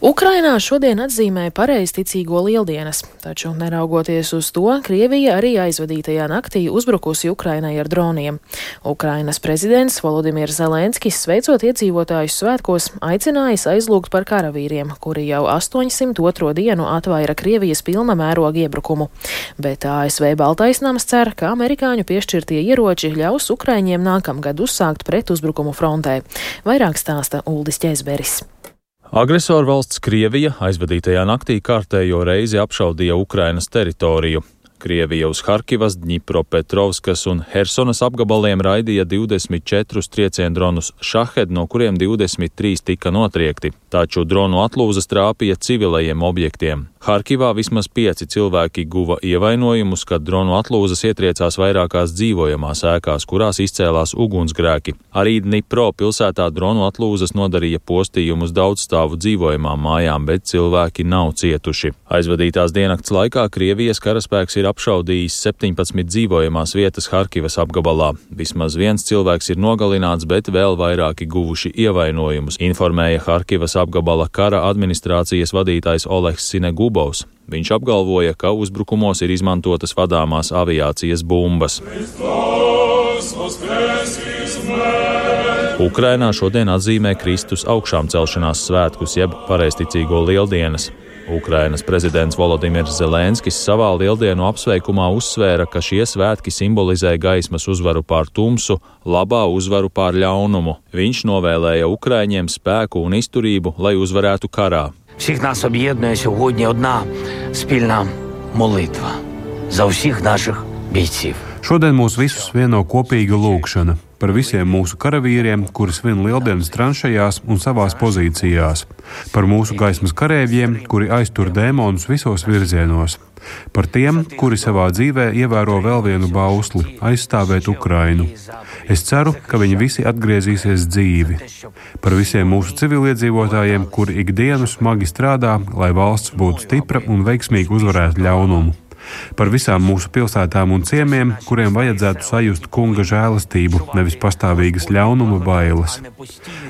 Ukrainā šodien atzīmē pareizticīgo lieldienas, taču neraugoties uz to, Krievija arī aizvadītajā naktī uzbrukusi Ukrainai ar droniem. Ukrainas prezidents Volodimirs Zelenskis, sveicot iedzīvotājus svētkos, aicinājis aizlūgt par karavīriem, kuri jau 802. dienu atvaira Krievijas pilna mēroga iebrukumu. Bet ASV Baltais nams cer, ka amerikāņu piešķirtie ieroči ļaus Ukraiņiem nākamgad uzsākt pretuzbrukumu frontē. Vairāk stāsta Uldis Ķezberis. Agresoru valsts Krievija aizvadītajā naktī kārtējo reizi apšaudīja Ukrainas teritoriju. Krievija uz Harkivas, Dņipropetrovskas un Hersonas apgabaliem raidīja 24 trieciendronus Šahed, no kuriem 23 tika notriekti, taču dronu atlūzas trāpīja civilajiem objektiem. Harkivā vismaz 5 cilvēki guva ievainojumus, kad dronu atlūzas ietriecās vairākās dzīvojamās ēkās, kurās izcēlās ugunsgrēki. Arī Dņipro pilsētā dronu atlūzas nodarīja postījumus daudzstāvu dzīvojamām mājām, bet cilvēki nav cietuši. Aizvadītās diennakts laikā Krievijas karaspēks ir apšaudījis 17 dzīvojamās vietas Harkivas apgabalā. Vismaz viens cilvēks ir nogalināts, bet vēl vairāki guvuši ievainojumus, informēja Harkivas apgabala kara administrācijas vadītājs Oleks Sinegubovs. Viņš apgalvoja, ka uzbrukumos ir izmantotas vadāmās aviācijas bumbas. Ukrainā šodien atzīmē Kristus augšām celšanās svētkus, jeb pareizticīgo lieldienas. Ukrainas prezidents Volodimirs Zelenskis savā lieldienu apsveikumā uzsvēra, ka šie svētki simbolizē gaismas uzvaru pār tumsu, labā uzvaru pār ļaunumu. Viņš novēlēja Ukraiņiem spēku un izturību, lai uzvarētu karā. Всіх нас об'єднує сьогодні одна спільна молитва за всіх наших бійців. Šodien mūs visus vieno kopīga lūgšana par visiem mūsu karavīriem, kuri svin lieldienas tranšajās un savās pozīcijās, par mūsu gaismas karēvjiem, kuri aiztur dēmonus visos virzienos, par tiem, kuri savā dzīvē ievēro vēl vienu bausli – aizstāvēt Ukrainu. Es ceru, ka viņi visi atgriezīsies dzīvi. Par visiem mūsu civiliedzīvotājiem, kuri ikdienu smagi strādā, lai valsts būtu stipra un veiksmīgi uzvarētu ļaunumu. Par visām mūsu pilsētām un ciemiem, kuriem vajadzētu sajust kunga žēlastību, nevis pastāvīgas ļaunuma bailes.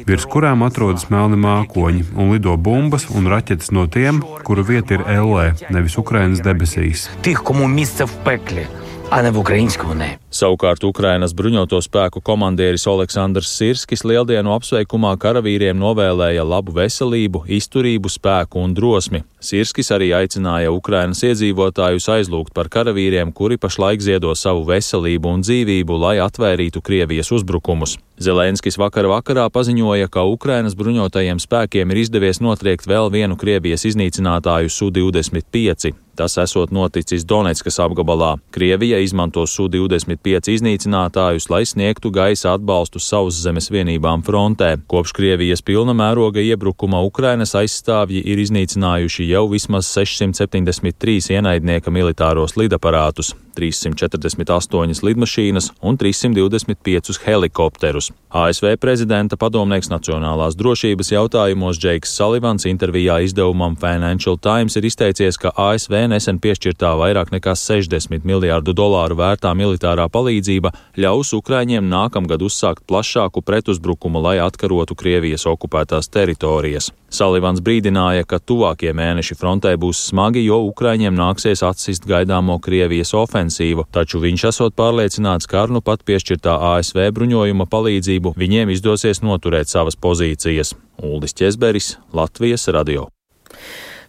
Virs kurām atrodas melni mākoņi un lido bumbas un raķetes no tiem, kuru vieta ir ellē, nevis Ukrainas debesīs. Тих, кому місце в пеклі, а не в українському небі. Savukārt Ukrainas bruņoto spēku komandieris Oleksandrs Sirskis lieldienu apsveikumā karavīriem novēlēja labu veselību, izturību, spēku un drosmi. Sirskis arī aicināja Ukrainas iedzīvotājus aizlūgt par karavīriem, kuri pašlaik ziedo savu veselību un dzīvību, lai atvērītu Krievijas uzbrukumus. Zelenskis vakarā paziņoja, ka Ukrainas bruņotajiem spēkiem ir izdevies notriekt vēl vienu Krievijas iznīcinātāju Su-25. Tas esot noticis Donetskas apgabalā. Krievija izmanto Su-25 iznīcinātājus, lai sniegtu gaisa atbalstu sauszemes vienībām frontē. Kopš Krievijas pilna mēroga iebrukuma Ukrainas aizstāvji ir iznīcinājuši jau vismaz 673 ienaidnieka militāros lidaparātus, 348 lidmašīnas un 325 helikopterus. ASV prezidenta padomnieks nacionālās drošības jautājumos Džeiks Salivans intervijā izdevumam Financial Times ir izteicies, ka ASV nesen piešķirtā vairāk nekā $60 miljārdu vērtā militārā palīdzība ļaus Ukraiņiem nākamgad uzsākt plašāku pretuzbrukumu, lai atkarotu Krievijas okupētās teritorijas. Salivans brīdināja, ka tuvākie mēneši frontē būs smagi, jo Ukraiņiem nāksies atsist gaidāmo Krievijas ofensīvu, taču viņš esot pārliecināts, ka ar nu pat piešķirtā ASV bruņojuma palīdzību viņiem izdosies noturēt savas pozīcijas. Uldis Ķezberis, Latvijas radio.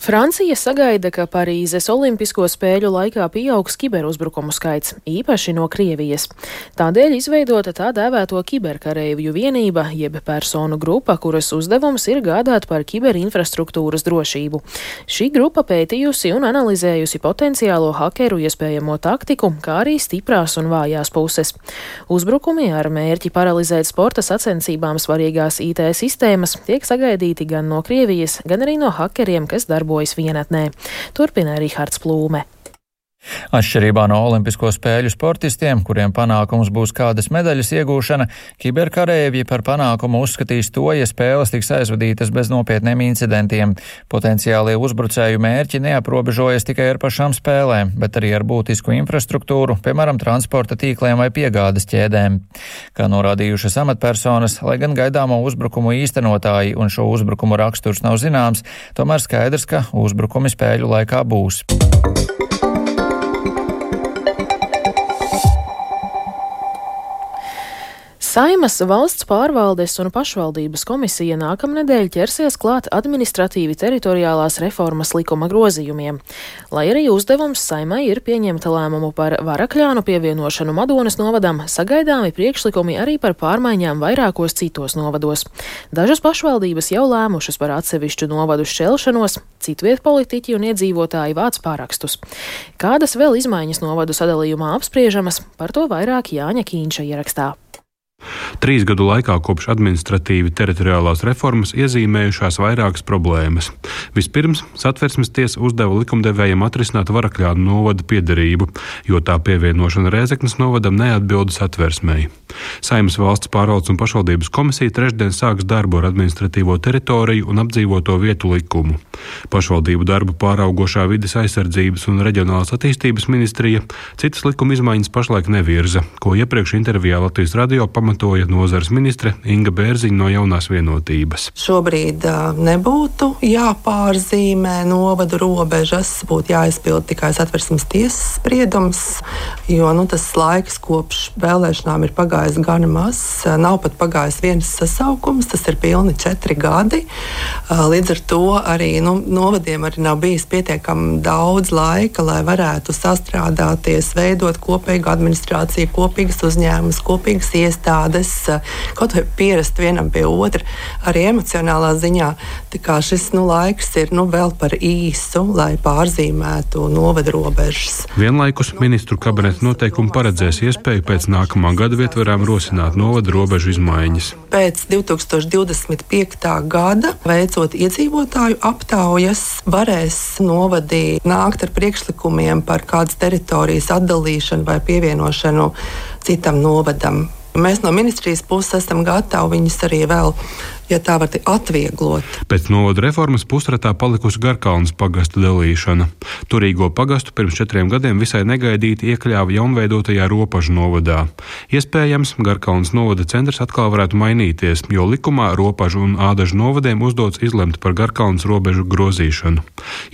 Francija sagaida, ka Parīzes Olimpisko spēļu laikā pieaugs kiberuzbrukumu skaits, īpaši no Krievijas. Tādēļ izveidota tā dēvēto kiberkareivju vienība, jeb personu grupa, kuras uzdevums ir gādāt par kiberinfrastruktūras drošību. Šī grupa pētījusi un analizējusi potenciālo hakeru iespējamo taktiku, kā arī stiprās un vājās puses. Uzbrukumi ar mērķi paralizēt sporta sacensībām svarīgās IT sistēmas tiek sagaidīti gan no Krievijas, gan arī no hakeriem, kas darbojas vienatnē. Turpina Rihards Plūme. Atšķirībā no olimpisko spēļu sportistiem, kuriem panākums būs kādas medaļas iegūšana, kiberkareivji par panākumu uzskatīs to, ja spēles tiks aizvadītas bez nopietniem incidentiem. Potenciālie uzbrucēju mērķi neaprobežojas tikai ar pašām spēlēm, bet arī ar būtisku infrastruktūru, piemēram, transporta tīkliem vai piegādes ķēdēm. Kā norādījušas amatpersonas, lai gan gaidāmo uzbrukumu īstenotāji un šo uzbrukumu raksturs nav zināms, tomēr skaidrs, ka uzbrukumi spēļu laikā būs. Saeimas valsts pārvaldes un pašvaldības komisija nākamnedēļ ķersies klāt administratīvi teritoriālās reformas likuma grozījumiem. Lai arī uzdevums Saeimai ir pieņemt lēmumu par Varakļānu pievienošanu Madonas novadam, sagaidāmi priekšlikumi arī par pārmaiņām vairākos citos novados. Dažas pašvaldības jau lēmušas par atsevišķu novadu šķelšanos, citviet politiķi un iedzīvotāji vāc pārakstus. Kādas vēl izmaiņas novadu sadalījumā apspriežamas, par to vairāk Jāņa Kīņša ierakstā. 3 gadu laikā kopš administratīvi teritoriālās reformas iezīmējušās vairākas problēmas. Vispirms, Satversmes tiesa uzdeva likumdevējiem atrisināt Varakļānu novada piederību, jo tā pievienošana Rēzeknes novadam neatbilda Satversmei. Saeimas valsts pārvaldes un pašvaldības komisija trešdien sāks darbu ar administratīvo teritoriju un apdzīvoto vietu likumu. Pašvaldību darbu pāraugošā vides aizsardzības un reģionālās attīstības ministrija citas likuma izmaiņas pašlaik nevirza, ko iepriekš intervijā Latvijas radio pamatoja nozares ministre Inga Bērziņa no Jaunās vienotības. Šobrīd nebūtu jāpārzīmē novadu robežas, būtu jāizpild tikai Satversmes tiesas spriedums, jo tas laiks kopš vēlēšanām ir pagājis gana maz, nav pat pagājis viens sasaukums, tas ir pilni 4 gadi. Līdz ar to arī novadiem arī nav bijis pietiekami daudz laika, lai varētu sastrādāties, veidot kopīgu administrāciju, kopīgas uzņēmumus, kopīgas iestādes, kaut vai pierast vienam pie otra, arī emocionālā ziņā. Tā kā šis laiks ir vēl par īsu, lai pārzīmētu novadu robežas. Vienlaikus ministru kabineta noteikumi paredzēs iespēju pēc nākamā gada vietvarām rosināt novadu robežu izmaiņas. Pēc 2025. gada, veicot iedzīvotāju aptaujas, varēs novadi nākt ar priekšlikumiem par kādas teritorijas atdalīšanu vai pievienošanu citam novadam. Mēs no ministrijas puses esam gatavi viņus arī vēl, ja tā var atvieglot. Pēc novada reformas pusratā palikusi Garkalnes pagasta dalīšana. Turīgo pagastu pirms 4 gadiem visai negaidīti iekļāva jaunveidotajā Ropažu novadā. Iespējams, Garkalnes novada centrs atkal varētu mainīties, jo likumā Ropažu un Ādažu novadiem uzdots izlemt par Garkalnes robežu grozīšanu.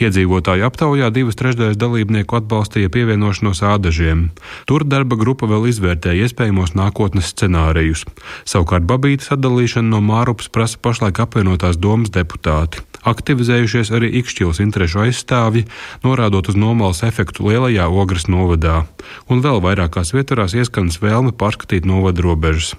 Iedzīvotāju aptaujā 2/3 dalībnieku atbalstīja pievienošanos Ādažiem. Tur darba grupa vēl izvērtēja iespējamos nākotnes scenārijus. Savukārt Babītes atdalīšana no Mārupas prasa pašlaik apvienotās domas deputāti. Aktivizējušies arī Ikšķilas interešu aizstāvji, norādot uz Nomalas efektu lielajā Ogres novadā. Un vēl vairākās vietvarās ieskanas vēlme pārskatīt novadu robežas.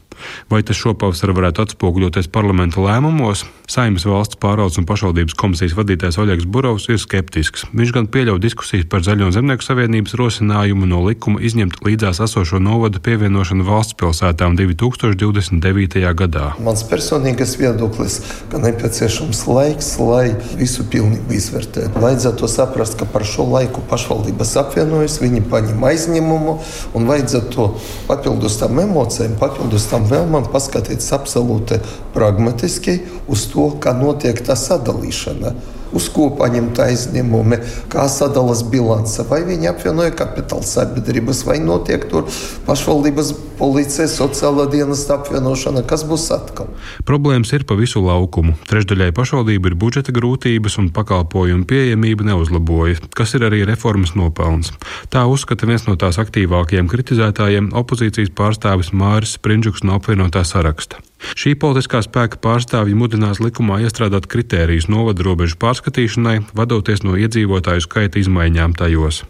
Vai tas šopavasar varētu atspoguļoties parlamenta lēmumos? Saeimas valsts pārvaldes un pašvaldības komisijas vadītājs Oļegs Burovs ir skeptisks. Viņš gan pieļauj diskusijas par Zaļo un Zemnieku savienības rosinājumu no likuma izņemt līdzās esošo novadu pievienošanu valsts pilsētām 2029. gadā. Mans personīgais viedoklis, ka nepieciešams laiks, lai visu pilnīgi izvērtētu. Vajadzētu saprast, ka par šo laiku pašvaldības apvienojas, viņi paņem aizņemumu un vajadzētu papildus tam emocijām, papildus tam vēlmam paskatīties absolūti pragmatiski uz to, kā notiek tā sadalīšana. Uz ko paņemt aizņemumi, kā sadalas bilance, vai viņi apvienoja kapitāla sabiedrības, vai notiek tur pašvaldības policijas, sociālā dienesta apvienošana, kas būs atkal. Problēmas ir pa visu laukumu. Trešdaļai pašvaldību ir budžeta grūtības un pakalpojumu pieejamība neuzlaboja, kas ir arī reformas nopelns. Tā uzskata viens no tās aktīvākajiem kritizētājiem opozīcijas pārstāvis Māris Sprindžuks no apvienotā saraksta. Šī politiskā spēka pārstāvji mudinās likumā iestrādāt kritērijus novadu robežu pārskatīšanai, vadoties no iedzīvotāju skaita izmaiņām tajos,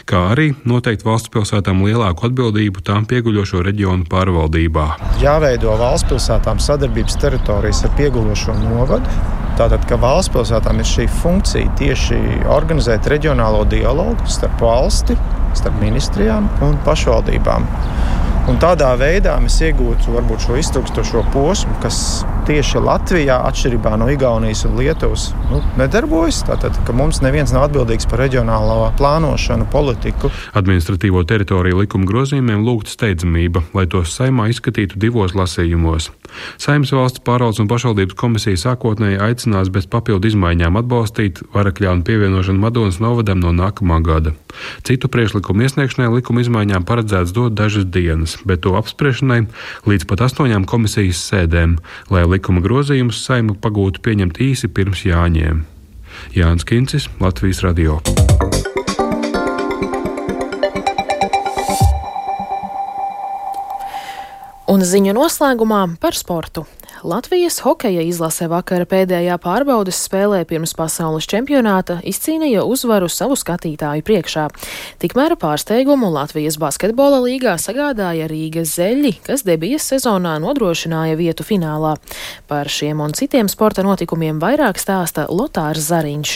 kā arī noteikt valsts pilsētām lielāku atbildību tām pieguļošo reģionu pārvaldībā. Jāveido valsts pilsētām sadarbības teritorijas ar pieguļošo novadu. Tātad, ka valsts pilsētām ir šī funkcija tieši organizēt reģionālo dialogu starp valsti, starp ministrijām un pašvaldībām. Un tādā veidā mēs iegūtu varbūt šo iztrukstošo posmu, kas tieši Latvijā, atšķirībā no Igaunijas un Lietuvas, nedarbojas. Tātad, ka mums neviens nav atbildīgs par reģionālo plānošanu, politiku. Administratīvo teritoriju likuma grozījumiem lūgta steidzamība, lai tos Saeimā izskatītu 2 lasījumos. Saeimas valsts pārvaldes un pašvaldības komisija sākotnēji aicinās bez papildu izmaiņām atbalstīt Varakļānu pievienošanu Madonas novadam no nākamā gada. Citu priekšlikumu iesniegšanai likuma izmaiņām paredzēts dot dažas dienas, bet to apspriešanai līdz pat 8 komisijas sēdēm, lai likuma grozījumus Saeima pagūtu pieņemt īsi pirms Jāņiem. Jānis Kincis, Latvijas radio. Un ziņu noslēgumā par sportu. Latvijas hokeja izlase vakara pēdējā pārbaudes spēlē pirms pasaules čempionāta izcīnīja uzvaru savu skatītāju priekšā. Tikmēr pārsteigumu Latvijas basketbola līgā sagādāja Rīgas Zeļļi, kas debijas sezonā nodrošināja vietu finālā. Par šiem un citiem sporta notikumiem vairāk stāsta Lotārs Zariņš.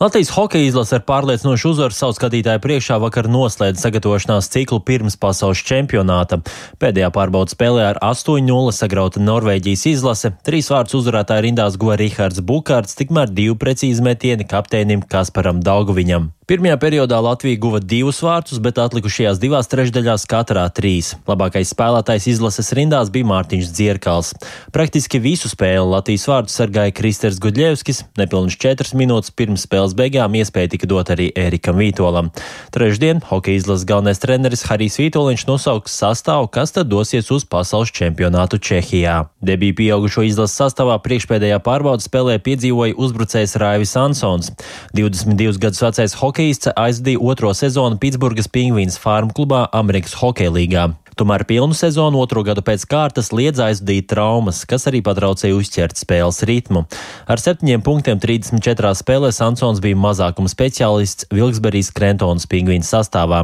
Latvijas hokeja izlase ar pārliecinošu uzvaru savu skatītāju priekšā vakar noslēdz sagatavošanās ciklu pirms pasaules čempionāta. Pēdējā pārbaudas spēlē ar 8-0 sagrauta Norvēģijas izlase, 3 vārdus uzvarētāju rindās guva Rihards Bukārts, tikmēr 2 precīzi metieni kapteinim Kasparam Dauguviņam. Pirmajā periodā Latvija guva 2 vārtus, bet atlikušajās 2 trešdaļās katrā 3. Labākais spēlētājs izlases rindās bija Mārtiņš Dzierkals. Praktiski visu spēli Latvijas vārtus sargāja Kristers Gudļevskis, nepilnīgi 4 minūtes pirms spēles beigām iespēja tika dot arī Ērikam Vītolam. Trešdien hokeja izlases galvenais treneris Harijs Vītoliņš nosauks sastāvu, kas tad dosies uz pasaules čempionātu Čehijā. Debiju pieaugušo izlases sastāvā priekšpēdējā pārbaudas spēlē piedzīvoja uzbrucējs Raivis Ansons. 22 gadus vecais hokejists aizdīja 2. sezonu Pitsburgas Pingvīns Farm klubā Amerikas hokeja līgā. Tomēr pilnu sezonu 2. gadu pēc kārtas liedz aizdīt traumas, kas arī patraucēja uzķert spēles ritmu. Ar 7 punktiem 34 spēlēs Ansons bija mazākuma speciālists Vilksberijas Krentonas Pingvīns sastāvā.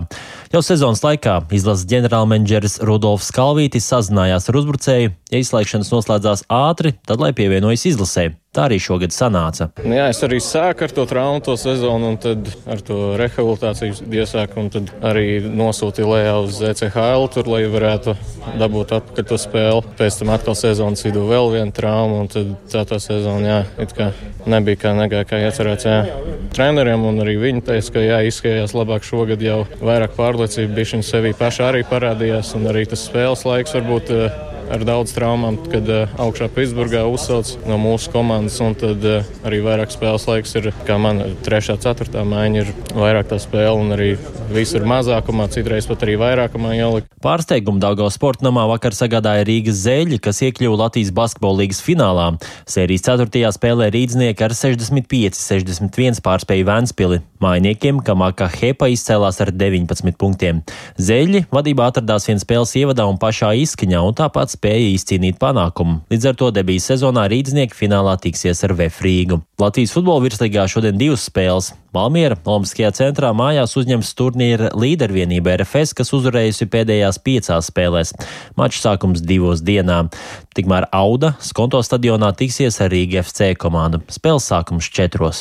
Jau sezonas laikā izlases ģenerālmenedžeris Rudolfs Kalvītis sazinājās ar uzbrucēju, ja izslēgšanas noslēdzās ātri, tad lai pievienojas izlasē. Tā arī šogad sanāca. Jā, es arī sāku ar to traumu to sezonu un tad ar to rehabilitāciju iesāku un tad arī nosūtīju lejā uz ECHL tur, lai varētu dabūt atpakaļ to spēli. Pēc tam atkal sezonas vidū vēl viena trauma un tad tā sezona, jā, it kā nebija kā negāja, kā iecerēts, jā. Treneriem un arī viņi teica, ka jā, izskatījās labāk šogad jau vairāk pārliecība, bišķiņ sevī pašā arī parādījās un arī tas spēles laiks varbūt ar daudz traumām, kad augšā Pitsburgā uzsauc no mūsu komandas, un tad arī vairāk spēles laiks ir, kā man 3. 4. maiņa ir vairāk tā spēle, un arī viss ir mazākumā, citreiz pat arī vairākumā jālika. Pārsteigumu Daugavas sporta namā vakar sagādāja Rīgas Zeļļi, kas iekļuva Latvijas basketbola līgas finālā. Sērijas 4. spēlē rīdznieki ar 65-61 pārspēja Ventspili. Mājniekiem Kamaka Hepa izcēlās ar 19 punktiem. Zeļļi vadībā atradās viens spēles ievadā un pašā izskaņā, un tāpat spēja izcīnīt panākumu. Līdz ar to debijas sezonā rīdznieki finālā tiksies ar VF Rīgu. Latvijas futbola virslīgā šodien 2 spēles. Valmiera Olimpiskajā centrā mājās uzņems turnīra līdervienība RFS, kas uzvarējusi pēdējās 5 spēlēs. Mačs sākums 2 dienā. Tikmēr Auda Skonto stadionā tiksies ar Rīga FC komandu. Spēles sākums 4.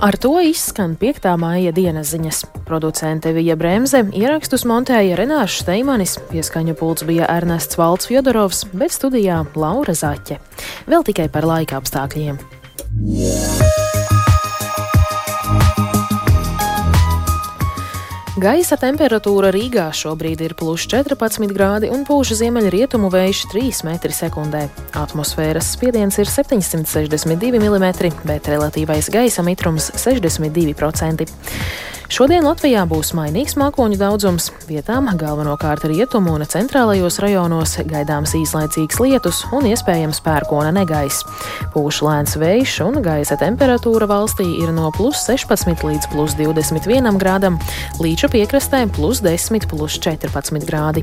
Ar to izskan 5. māja dienas ziņas. Producente Vija Bremze, ierakstus montēja Renāšs Steimanis, pieskaņu pults bija Ernests Valds Fjodorovs, bet studijā Laura Zaķe. Vēl tikai par laika apstākļiem. Gaisa temperatūra Rīgā šobrīd ir +14 grādi un pūš ziemeļrietumu vējš 3 metri sekundē. Atmosfēras spiediens ir 762 mm, bet relatīvais gaisa mitrums 62%. Šodien Latvijā būs mainīgs mākoņu daudzums, vietām galvenokārt rietumu un centrālajos rajonos gaidāms īslaicīgs lietus un iespējams pērkona negaiss. Pūš lēns vējš un gaisa temperatūra valstī ir no +16 līdz +21 grādam, Līča piekrastē +10, +14 grādi.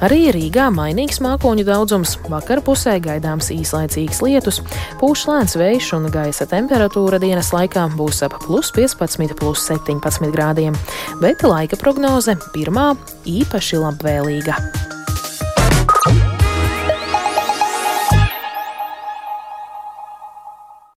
Arī Rīgā mainīgs mākoņu daudzums, vakar pusē gaidāms īslaicīgs lietus, pūš lēns vējš un gaisa temperatūra dienas laikā būs ap +15, +17 grādiem, bet laika prognoze pirmā īpaši labvēlīga.